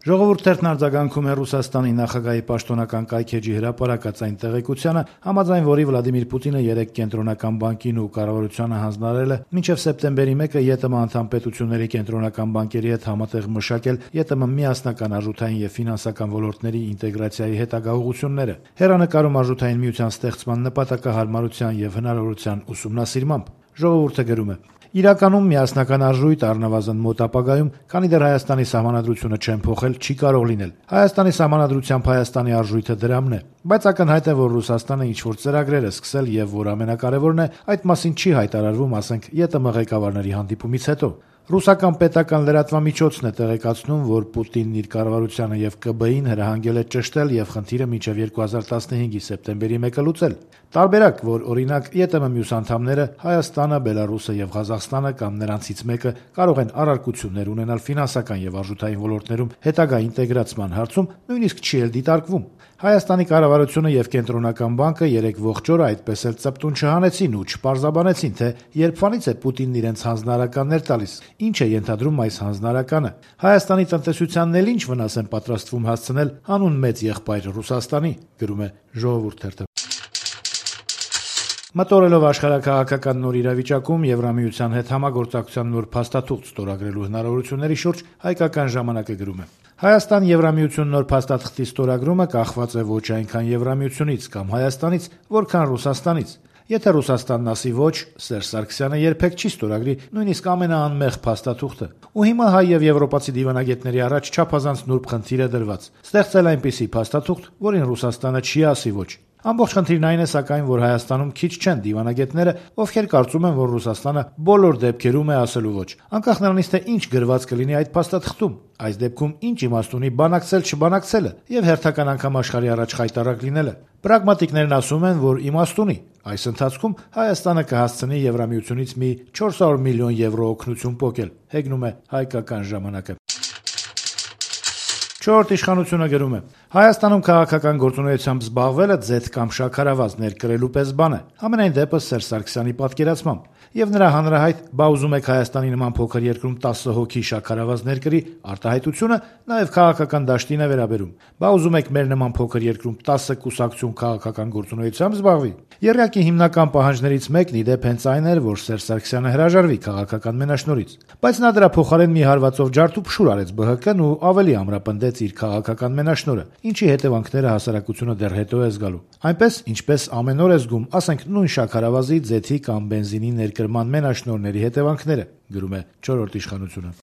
Ժողովուրդ թերթն արձագանքում է Ռուսաստանի նախագահի պաշտոնական կայքէջի հրապարակած այն տեղեկությանը, համաձայն որի Վլադիմիր Պուտինը երեկ կենտրոնական բանկին ու կառավարությանը հանձնարարել է մինչև սեպտեմբերի 1-ը ԵՏՄ անդամ պետությունների կենտրոնական բանկերի հետ համատեղ մշակել ԵՏՄ միասնական արժութային եւ ֆինանսական ոլորտների ինտեգրացիայի հետագա ուղղությունները։ Հեռանկարում արժութային միության ստեղծման նպատակահարմարության եւ հնարավորության ուսումնասիրմամբ ժողովուրդը գրում է. Իրականում միասնական արժույթ առնվազն մոտ ապագայում, քանի դեռ Հայաստանի սահմանադրությունը չեն փոխել, չի կարող լինել։ Հայաստանի սահմանադրությամբ Հայաստանի արժույթը դրամն է, բայց ակնհայտ է, որ Ռուսաստանը ինչ-որ ծրագրեր է սկսել եւ որ ամենակարևորն է, այդ մասին չի հայտարարվում, ասենք, ԵՏՄ ղեկավարների հանդիպումից հետո։ Ռուսական պետական լրատվամիջոցն է տեղեկացնում, որ Պուտինն իր կառավարությանը եւ ԿԲ-ին հրահանգել է ճշտել եւ խնդիրը մինչեւ 2015-ի սեպտեմբերի 1-ը լուծել։ Տարբերակ, որ օրինակ ԵՏՄ մյուս անդամները Հայաստանը, Բելարուսը եւ Ղազախստանը կամ նրանցից մեկը կարող են առարկություններ ունենալ ֆինանսական եւ արժութային ոլորտներում հետագա ինտեգրացման հարցում, նույնիսկ չի էլ դիտարկվում։ Հայաստանի կառավարությունը եւ կենտրոնական բանկը երեք ողջ օրը այդպես էլ ծպտուն չհանեցին ու չպարզաբանեցին, թե երբվանից է Պուտինն իրենց հանձնարարականներ տալիս, ինչ է ենթադրում այս հանձնարարականը։ Հայաստանի տնտեսությանն էլ ինչ վնաս են պատրաստվում հասցնել հանուն մեծ եղբայր Ռուսաստանի, գրում է Ժողովուրդ թերթը։ Մտորելով աշխարհակաղակական նոր իրավիճակում Եվրամիության հետ համագործակցության նոր փաստաթուղթ ստորագրելու հնարավորությունների շուրջ հայկական ժամանակը գրում է. Հայաստան Եվրամիություն նոր փաստաթղթի ստորագրումը կախված է ոչ այնքան Եվրամիությունից կամ Հայաստանից, որքան Ռուսաստանից։ Եթե Ռուսաստանն ասի ոչ, Սերժ Սարգսյանը երբեք չի ստորագրի նույնիսկ ամենաանմեղ փաստաթուղթը։ Ու հիմա հայ եւ եվրոպացի դիվանագետների առաջ չափազանց նուրբ խնդիր է դրված. ստեղծել այնպիսի փաստաթուղթ, որին Ռուսաստանը չի ասի ոչ։ Ամբողջ խնդիրն այն է, սակայն, որ Հայաստանում քիչ չեն դիվանագետները, ովքեր կարծում են, որ Ռուսաստանը բոլոր դեպքերում է ասելու ոչ, անկախ նրանից, թե ինչ գրված կլինի այդ փաստաթղթում։ Այս դեպքում ինչ իմաստ ունի բանակցել-չբանակցելը եւ հերթական անգամ աշխարհի առաջ խայտարակ լինելը։ Պրագմատիկներն ասում են, որ իմաստ ունի։ Այս ընթացքում Հայաստանը կհասցնի Եվրամիությունից մի 400 միլիոն եվրո օգնություն պոկել, հեգնում է հայկական ժամանակը։ Չորրորդ իշխանությունը գրում է. Հայաստանում քաղաքական գործունեությամբ զբաղվելը ձեթ կամ շաքարավազ ներկրելու պես բան է, համենայն դեպս Սերժ Սարգսյանի պատկերացմամբ, եւ նրա հանրահայտ «Բա ուզում եք Հայաստանի նման փոքր երկրում 10 հոգի շաքարավազ ներկրի» արտահայտությունը նաեւ քաղաքական դաշտին է վերաբերում։ «Բա ուզում եք մեր նման փոքր երկրում 10 կուսակցություն քաղաքական գործունեությամբ զբաղվի»։ Եռյակի հիմնական պահանջներից մեկն ի դեպ հենց այն էր, որ Սերժ Սարգսյանը հրաժարվի քաղաքական մենաշնորհից, բայց նա դրա փոխարեն մի հարվածով ջարդ ու փշուր արեց ԲՀԿ-ն ու ավելի ամրապնդեց իր քաղաքական մենաշնորհը, ինչի հետևանքները հասարակությունը դեռ հետո է զգալու։ Այնպես, ինչպես ամեն օր է զգում, ասենք, նույն շաքարավազի, ձեթի կամ բենզինի ներկրման մենաշնորհների հետևանքները, գրում է Չորրորդ իշխանությունը։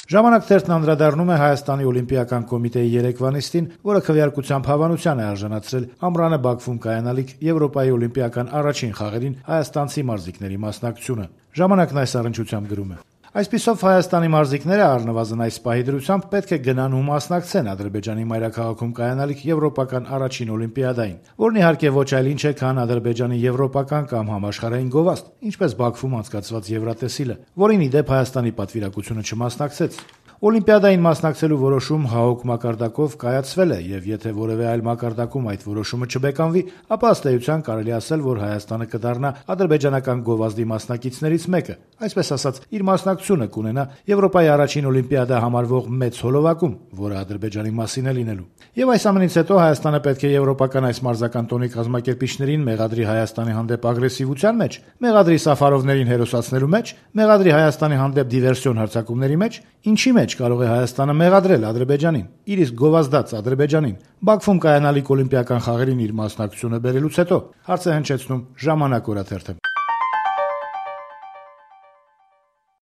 Ժամանակ թերթն անդրադառնում է Հայաստանի օլիմպիական կոմիտեի երեկվա նիստին, որը քվեարկությամբ հավանության է արժանացրել ամռանը Բաքվում կայանալիք Եվրոպայի օլիմպիական առաջին խաղերին հայաստանցի մարզիկների մասնակցությունը։ Ժամանակն այս առնչությամբ գրում է. Այսպիսով Հայաստանի մարզիկները առնվազն այս պահի դրությամբ պետք է գնան ու մասնակցեն Ադրբեջանի մայրաքաղաքում կայանալիք եվրոպական առաջին օլիմպիադային, որն իհարկե ոչ այլ ինչ է, քան Ադրբեջանի եվրոպական կամ համաշխարհային գովազդ, ինչպես Բաքվում անցկացված Եվրատեսիլը, որին ի դեպ Հայաստանի պատվիրակությունը չմասնակցեց։ Օլիմպիադային մասնակցելու որոշում ՀԱՕԿ մակարդակով կայացվել է, եւ եթե որևէ այլ մակարդակում այդ որոշումը չբեկանվի, ապա ըստ էության կարելի ասել, որ Հայաստանը կդառնա ադրբեջանական գովազդի մասնակիցներից մեկը, այսպես ասած, իր մասնակցությունը կունենա Եվրոպայի առաջին օլիմպիադա համարվող մեծ հոլովակում, որը Ադրբեջանի մասին է լինելու։ Եվ այս ամենից հետո Հայաստանը պետք է եվրոպական այս մարզական տոնի կազմակերպիչներին մեղադրի Հայաստանի հանդեպ ագրեսիվության մեջ, մեղադրի Սաֆարովներին հերոսացնելու մեջ, մեղադրի Հայաստանի հանդեպ դիվերսիոն հարձակումների մեջ, ինչի մեջ կարող է Հայաստանը մեղադրել Ադրբեջանին, իր իսկ գովազդած Ադրբեջանին, Բաքվում կայանալիք օլիմպիական խաղերին իր մասնակցությունը բերելուց հետո, հարց է հնչեցնում Ժամանակ օրաթերթը։